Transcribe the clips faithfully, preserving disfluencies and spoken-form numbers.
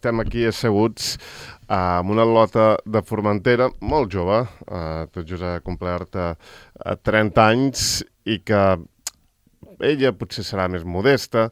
estem aquí asseguts uh, amb una lota de Formentera molt jove, uh, tot just ha complert uh, trenta anys i que ella potser serà més modesta,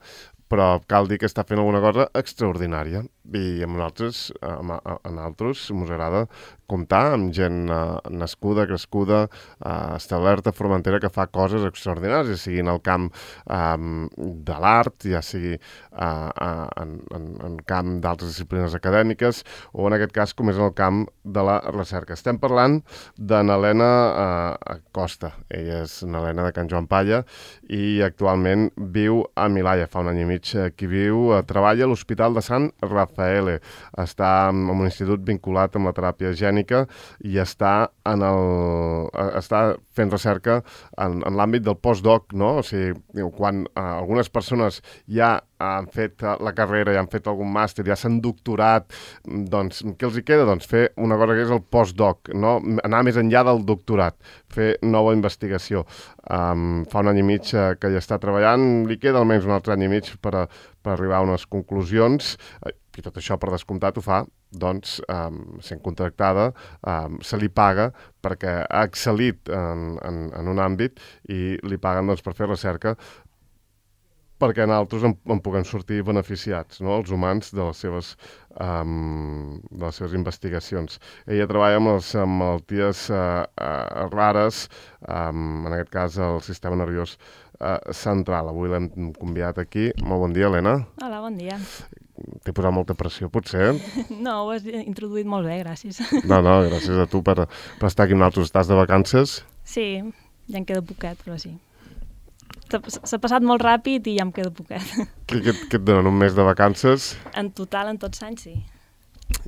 però cal dir que està fent alguna cosa extraordinària. I amb nosaltres, amb, a nosaltres, mos agrada comptar amb gent uh, nascuda, crescuda, uh, establerta a Formentera que fa coses extraordinàries, ja sigui en el camp um, de l'art, ja sigui uh, uh, en, en, en camp d'altres disciplines acadèmiques, o en aquest cas com és en el camp de la recerca. Estem parlant de n'Helena uh, Costa. Ella és n'Helena de Can Joan Palla i actualment viu a Milà, ja fa un any i mig que viu, uh, treballa a l'Hospital de Sant Rafael. Està en un institut vinculat amb la teràpia gènica i està, en el, està fent recerca en, en l'àmbit del postdoc, no? O sigui, quan uh, algunes persones ja han fet la carrera, ja han fet algun màster, ja s'han doctorat, doncs què els hi queda? Doncs fer una cosa que és el postdoc, no? Anar més enllà del doctorat, fer nova investigació. Um, fa un any i mig que ja està treballant, li queda almenys un altre any i mig per, a, per arribar a unes conclusions, i tot això, per descomptat, ho fa, doncs, um, sent contractada, um, se li paga perquè ha excel·lit en, en, en un àmbit i li paguen doncs, per fer recerca perquè nosaltres en, en puguem sortir beneficiats, no?, els humans, de les seves, um, de les seves investigacions. Ella treballa amb les amb malalties uh, uh, rares, um, en aquest cas el sistema nerviós uh, central. Avui l'hem convidat aquí. Molt bon dia, Helena. Hola, bon dia. T'he posat molta pressió, potser? No, ho has introduït molt bé, gràcies. No, no, gràcies a tu per, per estar aquí amb nosaltres. Estàs de vacances? Sí, ja em queda poquet, però sí. S'ha passat molt ràpid i ja em queda poquet. Què, què, què et donen, un mes de vacances? En total, en tots anys, sí.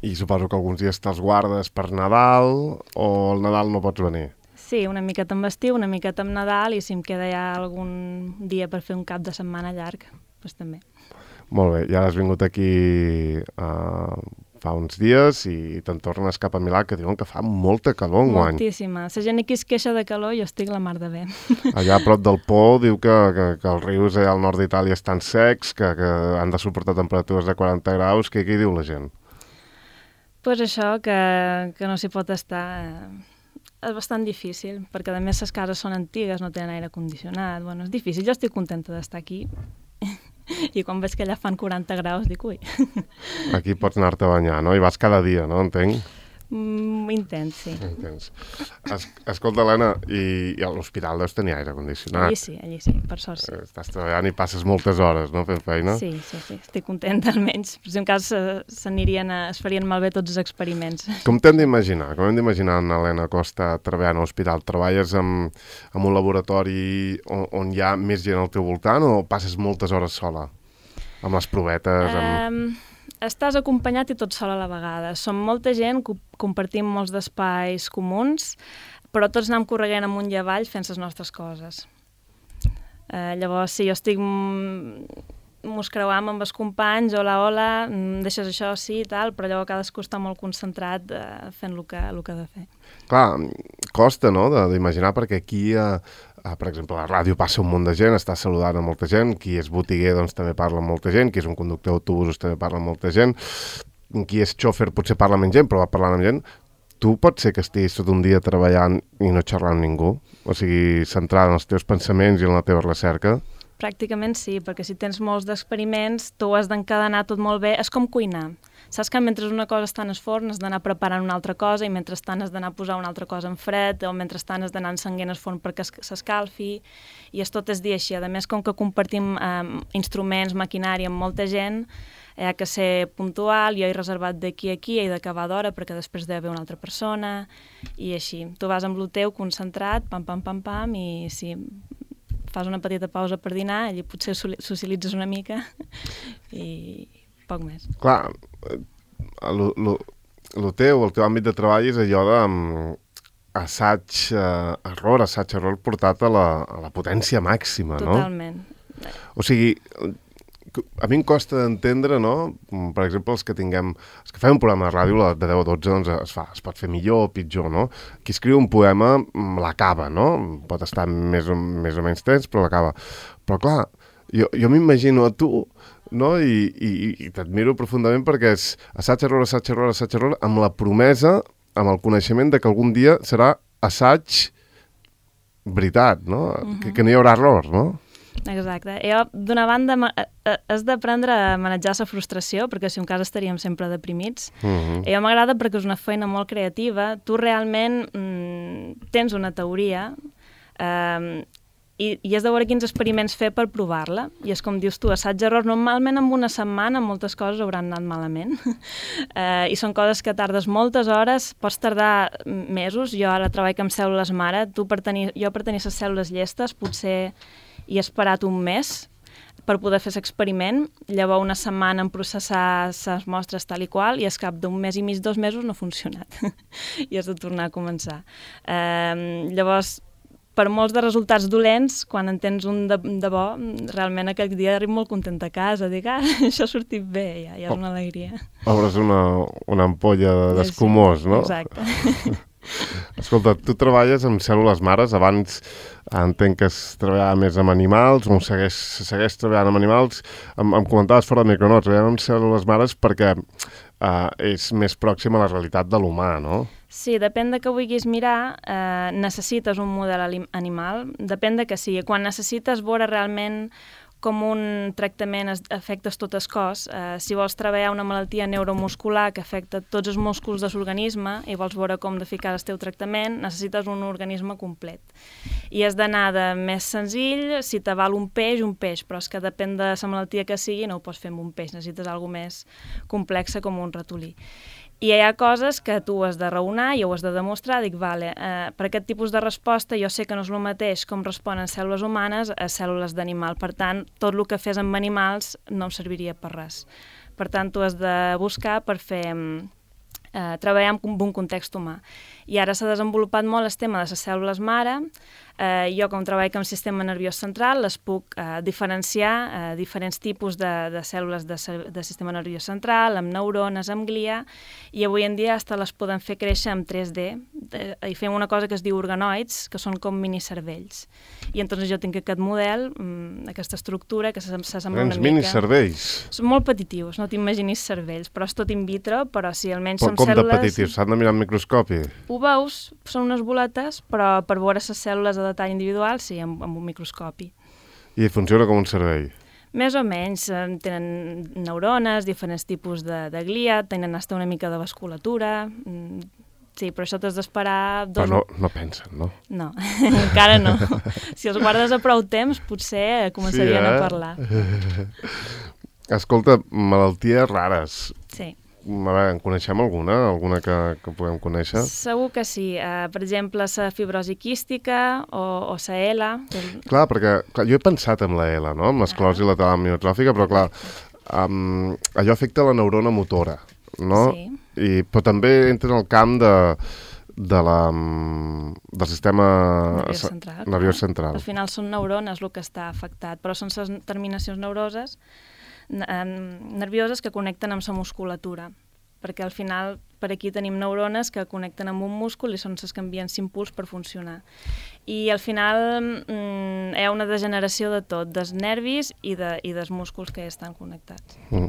I suposo que alguns dies te'ls guardes per Nadal o al Nadal no pots venir? Sí, una miqueta amb estiu, una miqueta amb Nadal, i si em queda ja algun dia per fer un cap de setmana llarg, doncs també. Molt bé, ja has vingut aquí uh, fa uns dies i te'n tornes cap a Milà, que diuen que fa molta calor enguany. Moltíssima. La gent aquí es queixa de calor i jo estic la mar de bé. Allà a prop del Po diu que, que, que els rius allà al nord d'Itàlia estan secs, que, que han de suportar temperatures de quaranta graus. Què, què diu la gent? Doncs pues això, que, que no s'hi pot estar... És bastant difícil, perquè a més les cases són antigues, no tenen aire condicionat. Bueno, és difícil. Jo estic contenta d'estar aquí. I quan veig que allà fan quaranta graus, dic, ui. Aquí pots anar-te a banyar, no? I vas cada dia, no? Entenc? Mm, intens, sí. Intens. Es, escolta, Helena, i, i a l'hospital deus tenir aire condicionat. Allí sí, allí sí, per sort sí. Estàs treballant i passes moltes hores, no?, fent feina? Sí, sí, sí, estic contenta almenys. Per si en cas s'anirien a, es farien malbé tots els experiments. Com t'hem d'imaginar? Com hem d'imaginar en Helena Costa treballant a l'hospital? Treballes en, en un laboratori on, on hi ha més gent al teu voltant o passes moltes hores sola? Amb les provetes? Amb... Um... Estàs acompanyat i tot sol a la vegada. Som molta gent, compartim molts d'espais comuns, però tots anem correguent amunt i avall fent les nostres coses. Eh, llavors, sí, jo estic... Mos creuam amb els companys, hola, hola, deixes això, sí, i tal, però llavors cadascú està molt concentrat eh, fent el que, el que ha de fer. Clar, costa, no?, d'imaginar, perquè aquí, eh, eh, per exemple, a la ràdio passa un munt de gent, està saludant a molta gent, qui és botiguer doncs també parla amb molta gent, qui és un conductor d'autobusos també parla amb molta gent, qui és xòfer potser parla amb gent, però va parlant amb gent. Tu pot ser que estiguis tot un dia treballant i no xerrant amb ningú? O sigui, centrada en els teus pensaments i en la teva recerca? Pràcticament sí, perquè si tens molts d'experiments, tu has d'encadenar tot molt bé. És com cuinar. Saps que mentre una cosa està en el forn has d'anar preparant una altra cosa i mentrestant has d'anar a posar una altra cosa en fred o mentrestant has d'anar encenguent el forn perquè s'escalfi i és tot el dia així. A més, com que compartim eh, instruments, maquinària amb molta gent, hi ha que ser puntual, jo he reservat d'aquí a aquí, he d'acabar d'hora perquè després deu haver una altra persona i així. Tu vas amb el teu concentrat, pam, pam, pam, pam, i sí... fas una petita pausa per dinar, allí potser socialitzes una mica i poc més. Clar, el teu, el teu àmbit de treball és allò d'assaig-error, assaig-error portat a la, a la potència màxima, no? Totalment. O sigui, a mi em costa d'entendre, no? Per exemple, els que tinguem... Els que fem un programa de ràdio de deu a dotze, doncs es fa, es pot fer millor o pitjor, no? Qui escriu un poema l'acaba, no? Pot estar més o, més o menys temps, però l'acaba. Però clar, jo, jo m'imagino a tu no? I, i, i t'admiro profundament perquè és assaig, error, assaig, error, assaig, error, amb la promesa, amb el coneixement de que algun dia serà assaig veritat, no? Uh-huh. que, que no hi haurà error, no? Exacte. Jo, d'una banda, has d'aprendre a manejar la frustració, perquè si en cas estaríem sempre deprimits. Uh-huh. Jo m'agrada perquè és una feina molt creativa. Tu realment mm, tens una teoria eh, i, i has de veure quins experiments fer per provar-la. I és com dius tu, assaig-error. Normalment en una setmana moltes coses hauran anat malament. eh, I són coses que tardes moltes hores, pots tardar mesos. Jo ara treballo amb cèl·lules mare. Tu per tenir, jo per tenir les cèl·lules llestes potser i he esperat un mes per poder fer l'experiment, llavors una setmana en processar les mostres tal i qual i al cap d'un mes i mig, dos mesos no ha funcionat i has de tornar a començar. Eh, llavors, per molts de resultats dolents, quan en tens un de, de bo, realment aquell dia arribo molt content a casa, dic, ah, això ha sortit bé, ja, ja és una alegria. Obres una, una ampolla d'escumós, no? Exacte. Escolta, tu treballes amb cèl·lules mares, abans entenc que es treballava més amb animals, o segueix, segueix treballant amb animals, em, em comentaves fora de micro, no? Treballem amb cèl·lules mares perquè eh, és més pròxim a la realitat de l'humà, no? Sí, depèn de què vulguis mirar, eh, necessites un model animal, depèn de què sigui. Quan necessites veure realment com un tractament afecta tot el cos. Eh, si vols treballar una malaltia neuromuscular que afecta tots els músculs de l'organisme i vols veure com d'eficaç el teu tractament, necessites un organisme complet. I has d'anar de més senzill, si te val un peix, un peix, però és que depèn de la malaltia que sigui, no ho pots fer amb un peix, necessites alguna més complexa com un ratolí. I hi ha coses que tu has de raonar i ho has de demostrar. Dic, vale, eh, per aquest tipus de resposta jo sé que no és el mateix com responen cèl·lules humanes a cèl·lules d'animal. Per tant, tot el que fes amb animals no em serviria per res. Per tant, tu has de buscar per fer... Eh, treballar en un context humà. I ara s'ha desenvolupat molt el tema de les cèl·lules mare. Eh, jo, com treballo amb el sistema nerviós central, les puc eh, diferenciar eh, diferents tipus de, de cèl·lules de, de sistema nerviós central, amb neurones, amb glia, i avui en dia hasta les podem fer créixer en tres D, de, i fem una cosa que es diu organoids, que són com minicervells. I entonces jo tinc aquest model, aquesta estructura, que s'assembla una mica... minicervells? Són molt petitius, no t'imaginis cervells, però és tot in vitro, però si almenys però, són com cèl·lules... Com de petitius? S'han de mirar amb microscopi? Ho veus, són unes boletes, però per veure les cèl·lules a detall individual, sí, amb, amb un microscopi. I funciona com un cervell? Més o menys, tenen neurones, diferents tipus de, de glia, tenen hasta una mica de vasculatura... Sí, però això t'has d'esperar... Dos... Però no, no pensen, no? No, encara no. Si els guardes a prou temps, potser començarien sí, eh? a parlar. Escolta, malalties rares. Sí. A veure, en coneixem alguna? Alguna que, que puguem conèixer? Segur que sí. Uh, per exemple, la fibrosi quística o, o la E L A. Que... Clar, perquè clar, jo he pensat en la E L A, no? Amb l'esclerosi ah. lateral amiotròfica, però clar, um, allò afecta la neurona motora, no? Sí. I, però també entra en el camp de, de la, del sistema nerviós central. Nerviós central. Al final són neurones el que està afectat, però són les terminacions neuroses nervioses que connecten amb la musculatura, perquè al final per aquí tenim neurones que connecten amb un múscul i són les que envien l'impuls per funcionar. I al final mm, hi ha una degeneració de tot, dels nervis i, de, i dels músculs que estan connectats. Mm.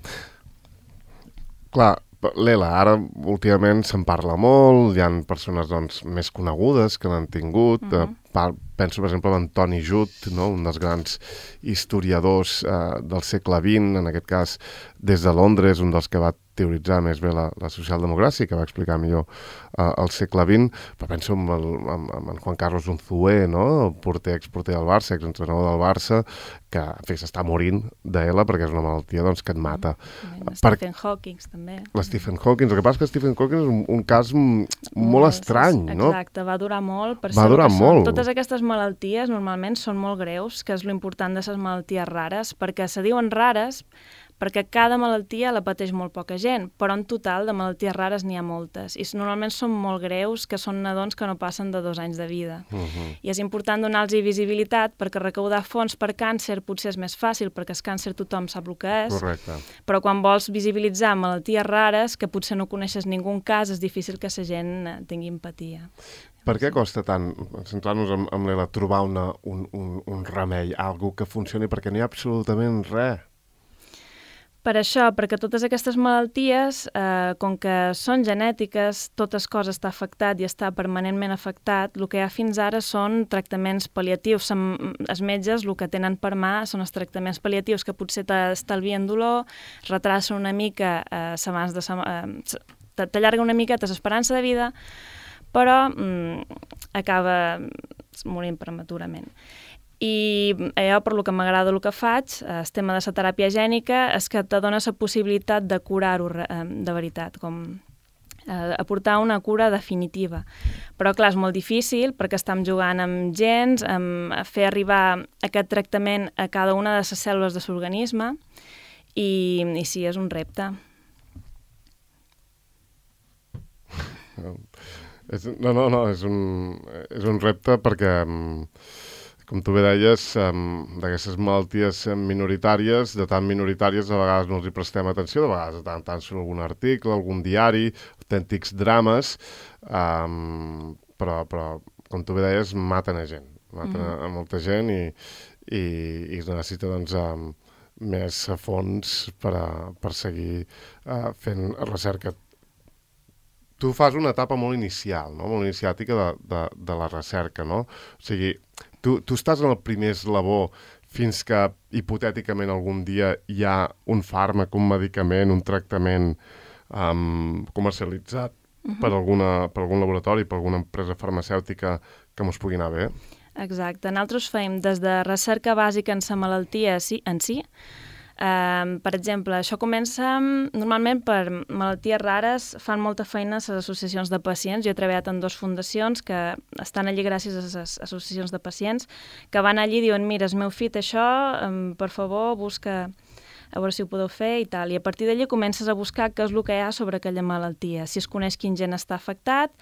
Clar, l'E L A, ara últimament se'n parla molt, hi ha persones doncs, més conegudes que l'han tingut, uh-huh. eh, penso per exemple en Toni Judt, no? Un dels grans historiadors eh, del segle vint, en aquest cas des de Londres, un dels que va teoritzar més bé la, la socialdemocràcia, que va explicar millor eh, el segle vint, però penso en, el, en, en Juan Carlos Unzué, no? El porter, exporter del Barça, exentrenador del Barça, que en fi, s'està morint d'E L A perquè és una malaltia doncs, que et mata. Mm, Stephen Hawking també. Stephen Hawking, el que passa és que Stephen Hawking és un, un cas m- molt no, estrany, és, no? Exacte, va durar molt. Per va durar molt. Totes aquestes malalties normalment són molt greus, que és l'important de les malalties rares, perquè se diuen rares perquè cada malaltia la pateix molt poca gent, però en total de malalties rares n'hi ha moltes, i normalment són molt greus, que són nadons que no passen de dos anys de vida. Uh-huh. I és important donar-los visibilitat, perquè recaudar fons per càncer potser és més fàcil, perquè el càncer tothom sap el que és. Correcte. Però quan vols visibilitzar malalties rares, que potser no coneixes ningú cas, és difícil que la gent tingui empatia. Per què costa tant, centrant-nos en, en l'E L A, trobar una, un, un, un remei, algo que funcioni, perquè no hi ha absolutament res? Per això, perquè totes aquestes malalties, eh, com que són genètiques, totes coses està afectat i està permanentment afectat, el que hi ha fins ara són tractaments pal·liatius. Som, els metges el que tenen per mà són els tractaments pal·liatius que potser t'estalvien dolor, retracen una mica, eh, s'abans de, eh, t'allarga una miqueta l'esperança de vida, però mm, acaba morint prematurament. I allò per lo que m'agrada el que faig, el tema de la teràpia gènica, és que te dona la possibilitat de curar-ho de veritat, com eh, aportar una cura definitiva. Però clar, és molt difícil perquè estem jugant amb gens, amb fer arribar aquest tractament a cada una de les cèl·lules de l'organisme i, i sí, és un repte. No, no, no, és un, és un repte perquè... Com tu bé deies, um, d'aquestes malalties minoritàries, de tan minoritàries, a vegades no els hi prestem atenció, de vegades de tant tant surt algun article, algun diari, autèntics drames, um, però, però, com tu bé deies, maten a gent, maten mm. a, a molta gent i, i, i es necessita doncs, um, més fons per, a, per seguir uh, fent recerca. Tu fas una etapa molt inicial, no? Molt iniciàtica de, de, de la recerca, no? O sigui, Tu, tu estàs en el primer eslabó fins que, hipotèticament, algun dia hi ha un fàrmac, un medicament, un tractament um, comercialitzat uh-huh. per, alguna, per algun laboratori, per alguna empresa farmacèutica que mos pugui anar bé? Exacte. Nosaltres fem des de recerca bàsica en la malaltia en si. Um, per exemple, això comença normalment per malalties rares, fan molta feina les associacions de pacients. Jo he treballat en dues fundacions que estan allí gràcies a les associacions de pacients que van allí i diuen, mira, el meu fill té això, um, per favor, busca a veure si ho podeu fer i tal. I a partir d'allí comences a buscar què és el que hi ha sobre aquella malaltia, si es coneix quin gen està afectat,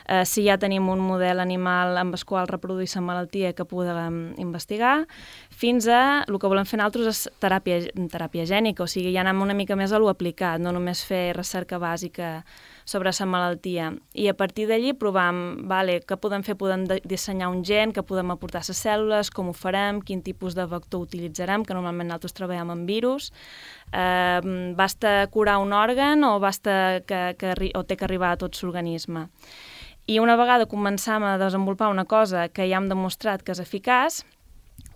eh, si ja tenim un model animal amb el qual reproduir la malaltia que podem investigar, fins a el que volem fer nosaltres és teràpia, teràpia gènica, o sigui, ja anem una mica més a lo aplicat, no només fer recerca bàsica sobre la malaltia. I a partir d'allí provem, vale, què podem fer? Podem dissenyar un gen, que podem aportar a les cèl·lules, com ho farem, quin tipus de vector utilitzarem, que normalment nosaltres treballem amb virus. Eh, basta curar un òrgan o, basta que, que, o té que arribar a tot l'organisme. I una vegada començam a desenvolupar una cosa que ja hem demostrat que és eficaç,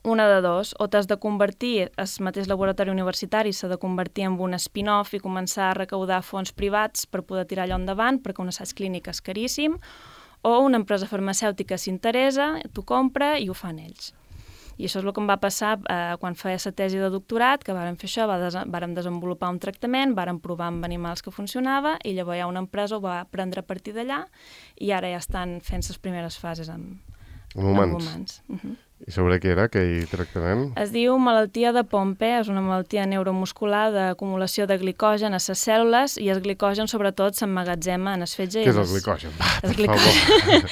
una de dos, o t'has de convertir, el mateix laboratori universitari s'ha de convertir en un spin-off i començar a recaudar fons privats per poder tirar allò endavant, perquè un assaig clínic és caríssim, o una empresa farmacèutica s'interessa, t'ho compra i ho fan ells. I això és el que em va passar eh, quan feia la tesi de doctorat, que vàrem fer això, va des vàrem desenvolupar un tractament, vàrem provar amb animals que funcionava, i llavors ja una empresa ho va prendre a partir d'allà, i ara ja estan fent les primeres fases amb, amb humans. Amb humans. Uh-huh. I sobre què era aquell tractament? Es diu malaltia de Pompe, és una malaltia neuromuscular d'acumulació de glicogen a les cèl·lules, i el glicogen sobretot s'emmagatzema en el fetge. Què és el glicogen? Va, per favor.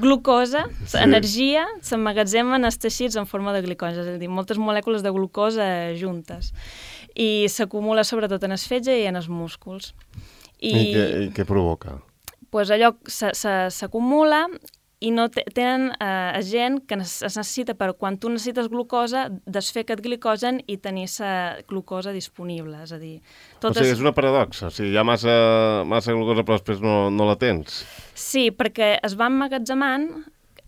Glucosa, sí. Energia, s'emmagatzema en els teixits en forma de glicogen, és a dir, moltes molècules de glucosa juntes. I s'acumula sobretot en el fetge i en els músculs. I, I, què, i què provoca? Pues allò s'acumula i no tenen eh, gent que es necessita, per quan tu necessites glucosa, desfer aquest glicogen i tenir la glucosa disponible. És a dir, totes... O sigui, és una paradoxa. O sigui, hi ha massa, massa glucosa però després no, no la tens. Sí, perquè es va emmagatzemant,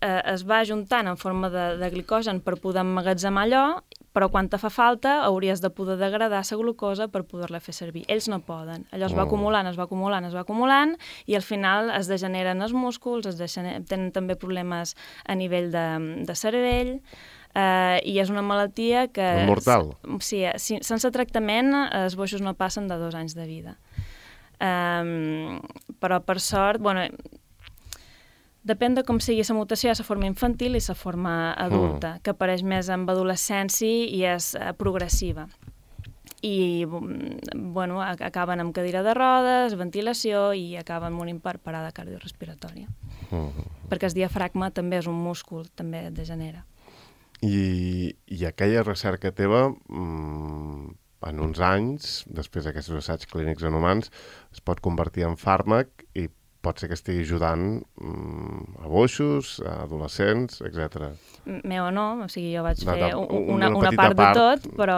eh, es va ajuntant en forma de, de glicogen per poder emmagatzemar allò, però quan te fa falta hauries de poder degradar la glucosa per poder-la fer servir. Ells no poden. Allò es va acumulant, es va acumulant, es va acumulant, i al final es degeneren els músculs, es degeneren, tenen també problemes a nivell de, de cervell, eh, i és una malaltia que... És mortal. Sí, sí, sense tractament els boixos no passen de dos anys de vida. Um, però per sort, bueno, depèn de com sigui la mutació, hi ha la forma infantil i la forma adulta, mm. que apareix més amb adolescència i és uh, progressiva. I, bueno, acaben amb cadira de rodes, ventilació, i acaben morint per parada cardiorrespiratòria. Mm. Perquè el diafragma també és un múscul, també degenera. I, i aquella recerca teva, mmm, en uns anys, després d'aquests assaigs clínics en humans, es pot convertir en fàrmac i pot ser que estigui ajudant mm, a boixos, a adolescents, etcètera. Meu o no, o sigui, jo vaig No, fer no, una, una una petita part de part. tot, però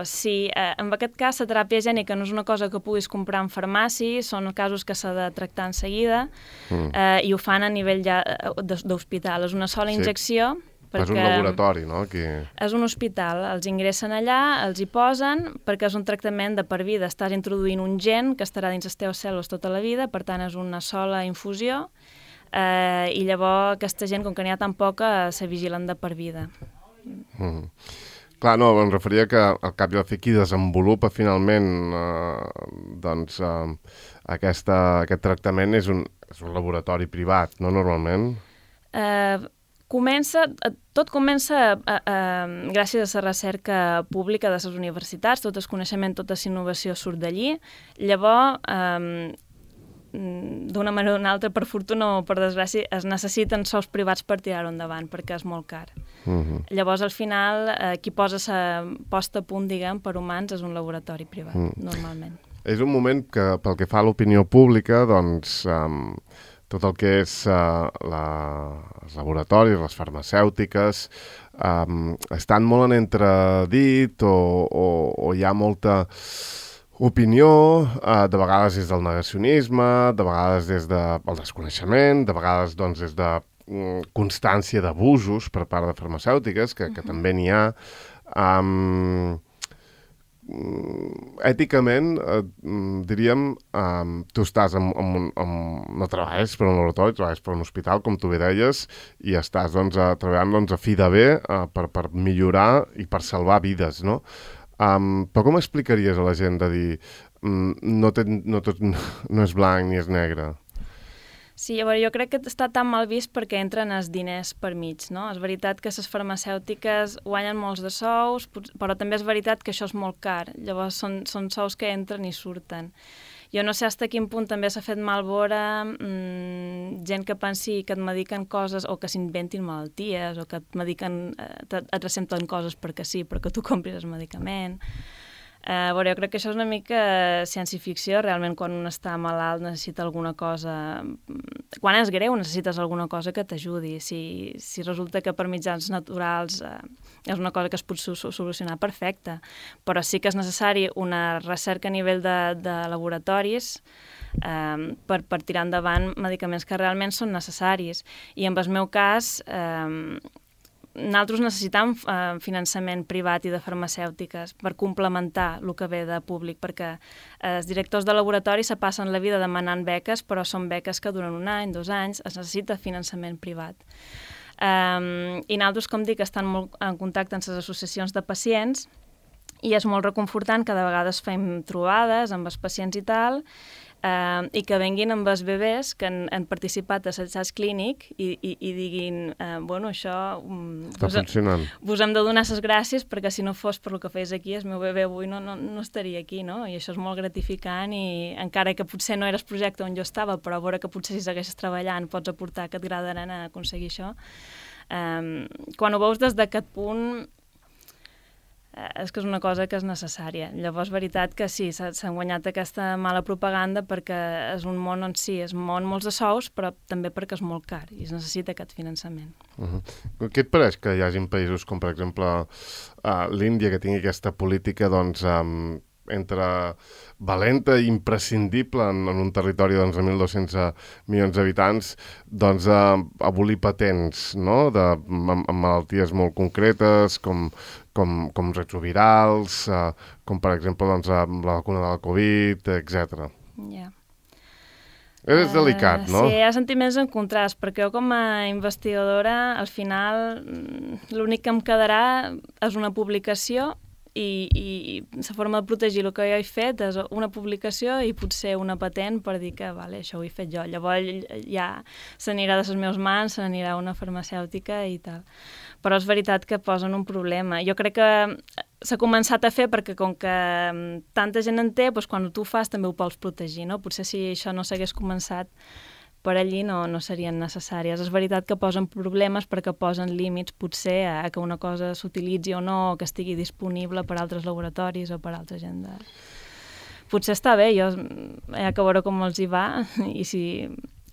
sí, eh, en aquest cas la teràpia gènica no és una cosa que puguis comprar en farmàcia, són casos que s'ha de tractar en seguida, Mm. eh, i ho fan a nivell ja eh, de- d'hospital. És una sola Sí. injecció, És un perquè laboratori, no? Aquí... és un hospital, els ingressen allà, els hi posen, perquè és un tractament de per vida. Estàs introduint un gen que estarà dins les teves cèl·lules tota la vida, per tant és una sola infusió, eh, i llavors aquesta gent, com que n'hi ha tan poca, se vigilen de per vida. Mm. Clar, no, em referia que al cap i a la fi qui desenvolupa finalment eh, doncs, eh, aquesta, aquest tractament és un, és un laboratori privat, no normalment? Eh, comença, eh, tot comença eh, eh, gràcies a la recerca pública de les universitats, tot el coneixement, tota la innovació surt d'allí. Llavors, eh, d'una manera o d'una altra, per fortuna o per desgràcia, es necessiten sous privats per tirar-ho endavant, perquè és molt car. Mm-hmm. Llavors, al final, eh, qui posa la posta a punt, diguem, per humans és un laboratori privat, Mm. normalment. És un moment que, pel que fa a l'opinió pública, doncs, um, tot el que és uh, la, els laboratoris, les farmacèutiques, um, estan molt en entredit o, o, o hi ha molta opinió, uh, de vegades des del negacionisme, de vegades des del de, desconeixement, de vegades doncs, des de um, constància d'abusos per part de farmacèutiques, que, que uh-huh. també n'hi ha. Um, èticament, eh, diríem, eh, tu estàs en, en, un- en, no treballes per un laboratori, treballes per un hospital, com tu bé deies, i estàs doncs, a, treballant doncs, a fi de bé eh, per, per millorar i per salvar vides, no? Um, però com explicaries a la gent de dir um, no, té, no tot no és blanc ni és negre? Sí, a veure, jo crec que està tan mal vist perquè entren els diners per mig, no? És veritat que les farmacèutiques guanyen molts de sous, però també és veritat que això és molt car. Llavors són, són sous que entren i surten. Jo no sé fins a quin punt també s'ha fet mal veure mmm, gent que pensi que et mediquen coses o que s'inventin malalties o que et mediquen, et, et recepten coses perquè sí, perquè tu compris el medicament. Uh, veure, jo crec que això és una mica ciència-ficció. Realment, quan un està malalt necessita alguna cosa... Quan és greu necessites alguna cosa que t'ajudi. Si, si resulta que per mitjans naturals uh, és una cosa que es pot solucionar, perfecte. Però sí que és necessari una recerca a nivell de, de laboratoris um, per, per tirar endavant medicaments que realment són necessaris. I en el meu cas... Um, nosaltres necessitam eh, finançament privat i de farmacèutiques per complementar el que ve de públic, perquè eh, els directors de laboratori se passen la vida demanant beques, però són beques que duren un any, dos anys, es necessita finançament privat. Um, I nosaltres, com dic, estan molt en contacte amb les associacions de pacients i és molt reconfortant que de vegades fem trobades amb els pacients i tal, Uh, i que venguin amb els bebès que han, han participat a l'assaig clínic i, i, i diguin, uh, bueno, això um, Està vos, funcionant. vos hem de donar les gràcies perquè si no fos per el que fes aquí, el meu bebè avui no, no, no estaria aquí, no? I això és molt gratificant i encara que potser no era el projecte on jo estava, però a veure que potser si segueixes treballant pots aportar aquest gra d'arena a aconseguir això. Um, quan ho veus des d'aquest punt, és que és una cosa que és necessària. Llavors, veritat que sí, s'ha guanyat aquesta mala propaganda perquè és un món on sí, és un món molts de sous, però també perquè és molt car i es necessita aquest finançament. Uh-huh. Què et pareix que hi hagin països com, per exemple, uh, l'Índia, que tingui aquesta política, doncs, um, entre valenta i imprescindible en, en un territori doncs, de mil dos-cents milions d'habitants, doncs, uh, abolir patents, no?, de, amb, amb malalties molt concretes, com, com, com retrovirals, uh, com, per exemple, doncs, la vacuna de la Covid, etcètera. Ja. Yeah. És uh, delicat, no? Sí, hi ha sentiments en contrast, perquè jo com a investigadora, al final, l'únic que em quedarà és una publicació i, i la forma de protegir el que jo he fet és una publicació i potser una patent per dir que vale, això ho he fet jo. Llavors ja s'anirà de les meves mans, se n'anirà una farmacèutica i tal. Però és veritat que posen un problema. Jo crec que s'ha començat a fer perquè com que tanta gent en té, doncs quan tu ho fas també ho pots protegir, no? Potser si això no s'hagués començat per allí no, no serien necessàries. És veritat que posen problemes perquè posen límits potser a que una cosa s'utilitzi o no, o que estigui disponible per altres laboratoris o per altra gent. De... Potser està bé, jo hi ha que veure com els hi va i si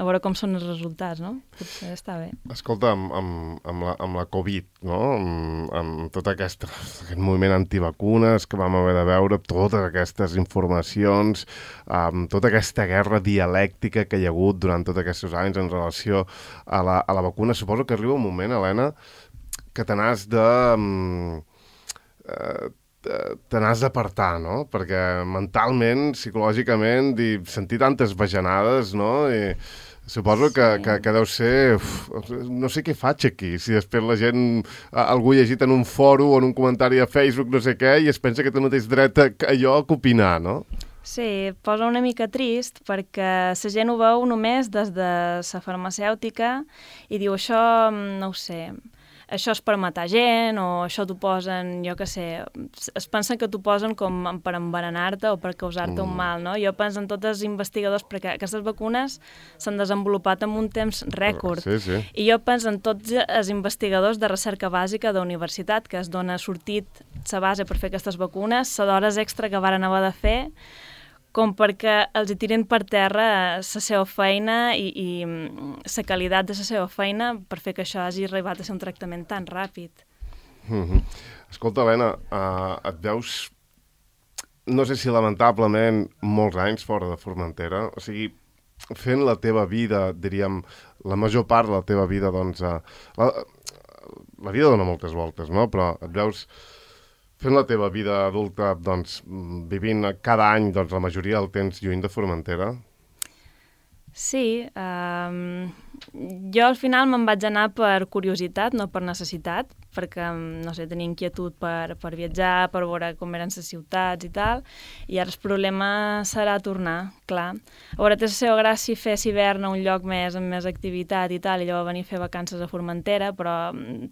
a veure com són els resultats, no? Potser està bé. Escolta, amb, amb, amb, la, amb la Covid, no? Amb, amb tot aquest, aquest moviment antivacunes que vam haver de veure, totes aquestes informacions, amb tota aquesta guerra dialèctica que hi ha hagut durant tots aquests anys en relació a la, a la vacuna, suposo que arriba un moment, Helena, que te n'has de... Eh, te n'has d'apartar, no? Perquè mentalment, psicològicament, i sentir tantes bajanades, no? I suposo que, sí. que, que deu ser... Uf, no sé què faig aquí, si després la gent... Algú llegit en un fòrum o en un comentari a Facebook, no sé què, i es pensa que té el mateix dret a allò que opinar, no? Sí, posa una mica trist perquè la gent ho veu només des de la farmacèutica i diu això, no ho sé... això és per matar gent, o això t'ho posen, jo què sé, es pensen que t'ho posen com per envenenar-te o per causar-te mm. un mal, no? Jo penso en tots els investigadors, perquè aquestes vacunes s'han desenvolupat en un temps rècord. Sí, sí. I jo penso en tots els investigadors de recerca bàsica de universitat, que es dona sortit la base per fer aquestes vacunes, la d'hores extra que varen haver de fer, com perquè els hi tiren per terra la seva feina i, i la qualitat de la seva feina per fer que això hagi arribat a ser un tractament tan ràpid. Mm-hmm. Escolta, Helena, uh, et veus, no sé si lamentablement, molts anys fora de Formentera, o sigui, fent la teva vida, diríem, la major part de la teva vida, doncs, uh, la, la vida dona moltes voltes, no? Però et veus... fent la teva vida adulta, doncs, vivint cada any, doncs, la majoria del temps lluny de Formentera? Sí. Um, jo al final me'n vaig anar per curiositat, no per necessitat, perquè, no sé, tenia inquietud per, per viatjar, per veure com eren les ciutats i tal, i ara el problema serà tornar, clar. A veure, té la seva gràcia fer hivern a un lloc més, amb més activitat i tal, i llavors venir a fer vacances a Formentera, però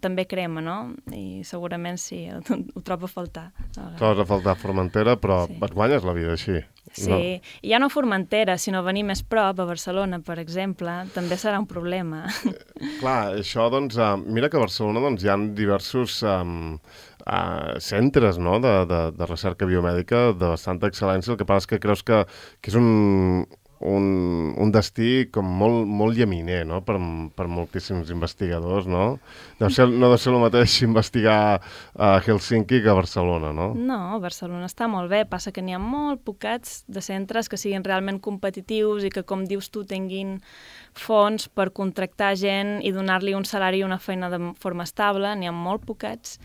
també crema, no? I segurament sí, ho, ho trobo a faltar. Trobes a faltar Formentera, però sí. Et guanyes la vida així. Sí, no. I ja no a Formentera, sinó venir més prop, a Barcelona, per exemple, també serà un problema. Eh, clar, això, doncs, uh, mira que a Barcelona doncs, hi ha diversos um, uh, centres, no?, de, de, de recerca biomèdica de bastanta excel·lència. El que passa és que creus que, que és un, un, un destí com molt, molt llaminer, no?, per, per moltíssims investigadors, no? Deu ser, no deu ser el mateix investigar a Helsinki que a Barcelona, no? No, Barcelona està molt bé, passa que n'hi ha molt poquets de centres que siguin realment competitius i que, com dius tu, tinguin fons per contractar gent i donar-li un salari i una feina de forma estable, n'hi ha molt poquets,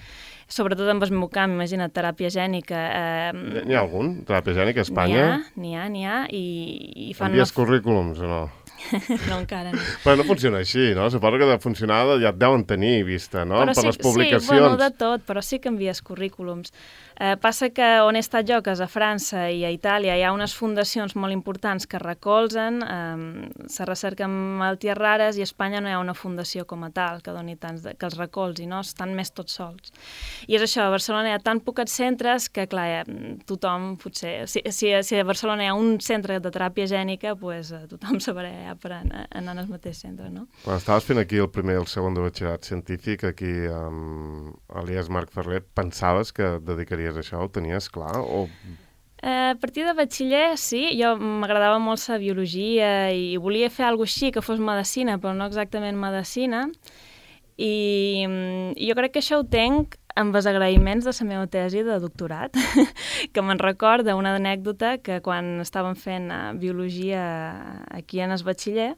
sobretot en el meu camp, imagina't, teràpia gènica. Eh, N'hi ha algun? Teràpia gènica a Espanya? N'hi ha, n'hi ha, i, i fan... Envies una... currículums o no? No, encara no. Però no funciona així, no? Suposo que de funcionar ja et deuen tenir vista, no? Però per sí, les publicacions. Sí, bueno, de tot, però sí que envies currículums. Eh, passa que on he estat jo, que és a França i a Itàlia, hi ha unes fundacions molt importants que recolzen eh, la recerca en malalties rares, i a Espanya no hi ha una fundació com a tal que doni tants, de, que els recolzi, no? Estan més tots sols. I és això, a Barcelona hi ha tan pocs centres que, clar, tothom potser... Si, si, si a Barcelona hi ha un centre de teràpia gènica, pues, tothom sabrà ja per anar, anar al mateix centre, no? Quan estaves fent aquí el primer i el segon de batxillerat científic, aquí amb Elias Marc Ferrer, pensaves que dedicaries a això? Ho tenies clar? O... Eh, a partir de batxiller, sí. Jo m'agradava molt la biologia i volia fer alguna cosa així que fos medicina, però no exactament medicina. I, i jo crec que això ho tenc amb els agraïments de la meva tesi de doctorat, que me'n recorda una anècdota que quan estàvem fent biologia aquí en el batxiller,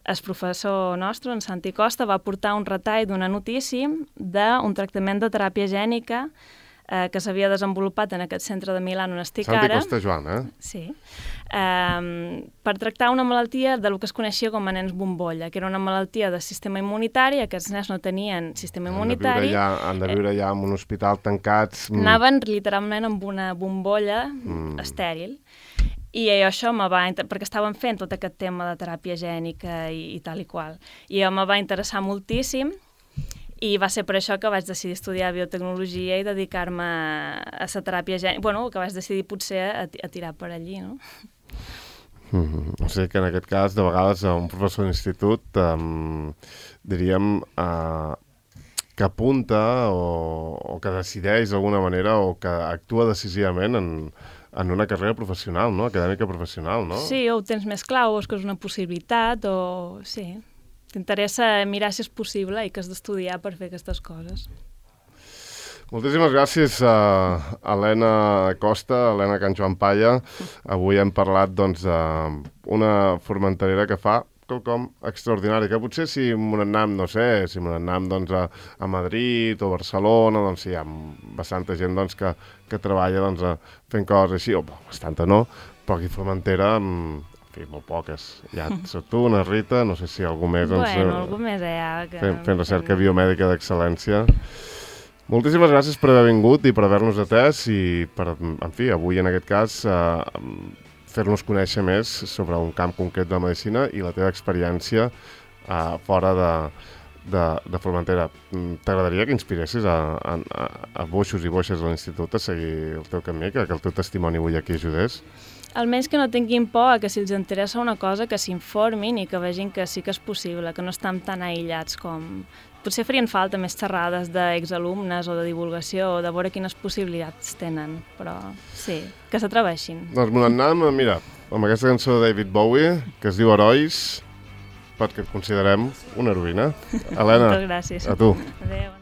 el professor nostre, en Santi Costa, va portar un retall d'una notícia d'un tractament de teràpia gènica eh, que s'havia desenvolupat en aquest centre de Milà on estic Santi ara. Costa Joan, eh? Sí. Um, per tractar una malaltia del que es coneixia com a nens bombolla, que era una malaltia del sistema immunitari. Aquests nens no tenien sistema immunitari. Han de viure ja, han de viure ja en un hospital tancats. Anaven literalment amb una bombolla mm. estèril. I això me va... perquè estàvem fent tot aquest tema de teràpia gènica i, i tal i qual. I me va interessar moltíssim, i va ser per això que vaig decidir estudiar biotecnologia i dedicar-me a la teràpia gènica. Bueno, que vaig decidir potser a, a tirar per allí, no? Mm-hmm. O sigui que en aquest cas, de vegades, un professor d'institut, um, diríem, uh, que apunta o, o que decideix d'alguna manera o que actua decisivament en, en una carrera professional, no? Acadèmica professional, no? Sí, o ho tens més clar, o és que és una possibilitat, o... Sí, t'interessa mirar si és possible i que has d'estudiar per fer aquestes coses. Moltíssimes gràcies a Helena Costa, a Helena Can Joan Palla. Avui hem parlat doncs, d'una formenterera que fa quelcom extraordinari, que potser si m'ho anam, no sé, si m'ho anam doncs, a, a Madrid o Barcelona, doncs hi ha bastanta gent doncs, que, que treballa doncs, fent coses així, o bastanta no, però aquí a Formentera, en fi, molt poques. Ja soc tu, una Rita, no sé si algú més... Doncs, Bueno, algú més allà. Que... Fent, fent recerca biomèdica d'excel·lència. Moltíssimes gràcies per haver vingut i per haver-nos atès i per, en fi, avui en aquest cas eh, fer-nos conèixer més sobre un camp concret de la medicina i la teva experiència eh, fora de, de, de Formentera. T'agradaria que inspiressis a, a, a boixos i boixes de l'institut a seguir el teu camí, que, que el teu testimoni avui aquí ajudés? Almenys que no tinguin por, que si els interessa una cosa que s'informin i que vegin que sí que és possible, que no estan tan aïllats com... Potser farien falta més xerrades d'exalumnes o de divulgació o de veure quines possibilitats tenen, però sí, que s'atreveixin. Doncs me n'anem, mira, amb aquesta cançó de David Bowie, que es diu Herois, perquè et considerem una heroïna. Helena, moltes gràcies. A tu. Adéu.